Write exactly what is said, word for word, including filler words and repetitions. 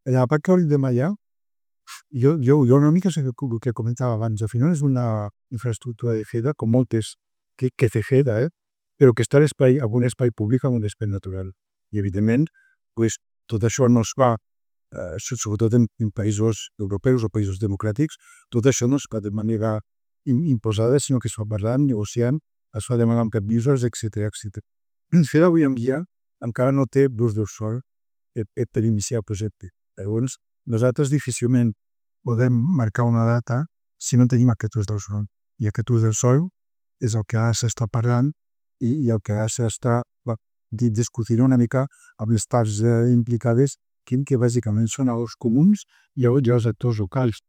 La part que hauríem de Maià, jo, jo, jo una mica sé el que comentava abans, al final és una infraestructura de FEDA, com moltes que, que té FEDA, eh? Però que està a l'espai, en un espai públic, en un espai natural. I, evidentment, pues, tot això no es fa, eh, sobretot en, en països europeus o països democràtics, tot això no es fa de manera imposada, sinó que es fa parlant, negociant, es fa demanant permisos, etcètera, etcètera. FEDA avui en dia encara no té l'ús del sòl per iniciar el projecte. Llavors, nosaltres difícilment podem marcar una data si no tenim aquest ús del sòl. I aquest ús del sòl és el que ara s'està parlant i, i el que ara s'està discutint una mica amb les parts eh, implicades, que, que bàsicament són els comuns i els actors locals.